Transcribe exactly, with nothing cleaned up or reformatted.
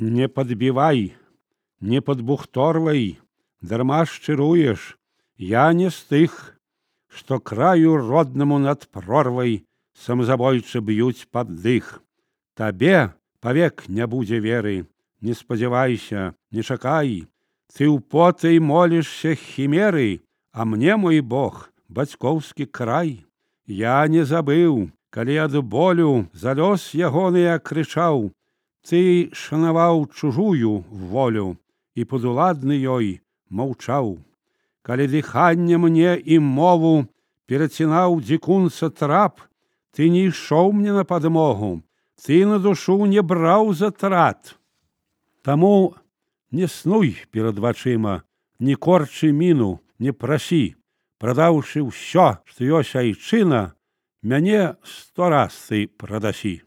Не подбивай, не подбухторвай, дарма шчыруеш. Я не з тых, што краю роднаму над прорвай самазабойцы б'юць пад дых. Табе павек не будзе веры, не спадзявайся, не чакай. Ты ў потай молішся хімеры, а мне, мой Бог, бацькоўскі край. Я не забыў, калі ад болю за лёс ягоны я крычаў. Ты шанаваў чужую волю і падуладны ёй маўчаў. Калі дыханне мне і мову перацінаў дзікунца трап, ты не ішоў мне на падмогу, ты на душу не браў затрат. Таму не снуй перад вачыма, не корчы міну, не прасі. Прадаўшы ўсё, што ёсць айчына, мяне сто раз ты прадасі.